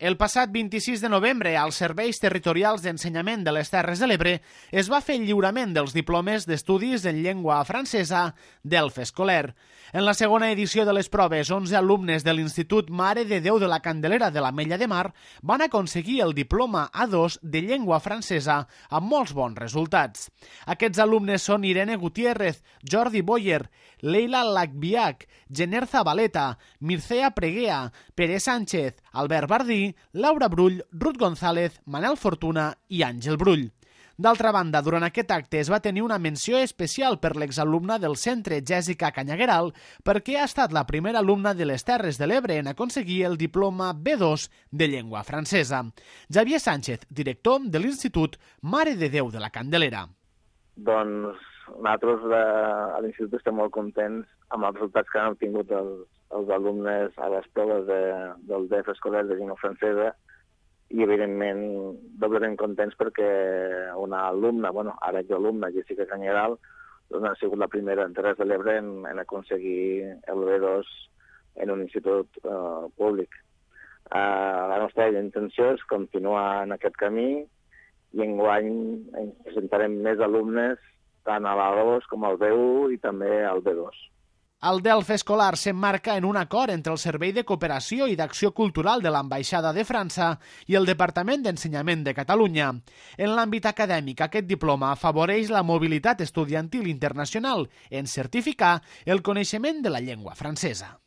El passat 26 de novembre, als Serveis Territorials d'Ensenyament de les Terres de l'Ebre es va fer el lliurament dels diplomes d'estudis en llengua francesa d'ELF escolar. En la segona edició de les proves, 11 alumnes de l'Institut Mare de Déu de la Candelera de l'Ametlla de Mar van aconseguir el diploma A2 de llengua francesa amb molts bons resultats. Aquests alumnes són Irene Gutiérrez, Jordi Boyer, Leila Lacbiac, Jenner Zabaleta, Mircea Preguea, Pere Sánchez, Albert Bardí, Laura Brull, Ruth González, Manel Fortuna i Àngel Brull. D'altra banda, durant aquest acte es va tenir una menció especial per l'exalumna del centre, Jèssica Canyagueral, perquè ha estat la primera alumna de les Terres de l'Ebre en aconseguir el diploma B2 de llengua francesa. Xavier Sánchez, director de l'Institut Mare de Déu de la Candelera. Doncs nosaltres a l'Institut estem molt contents amb els resultats que han obtingut els alumnes a les proves del DEF escolar de llengua francesa i, evidentment, doblement contents perquè una alumna, ara jo alumna, Jèssica Canyagueral, doncs ha sigut la primera en Terres de l'Ebre en aconseguir el B2 en un institut públic. La nostra intenció és continuar en aquest camí i enguany presentarem més alumnes tant a l'A2 com al B1 i també al B2. El DELF escolar s'emmarca en un acord entre el Servei de Cooperació i d'Acció Cultural de l'Ambaixada de França i el Departament d'Ensenyament de Catalunya. En l'àmbit acadèmic, aquest diploma afavoreix la mobilitat estudiantil internacional en certificar el coneixement de la llengua francesa.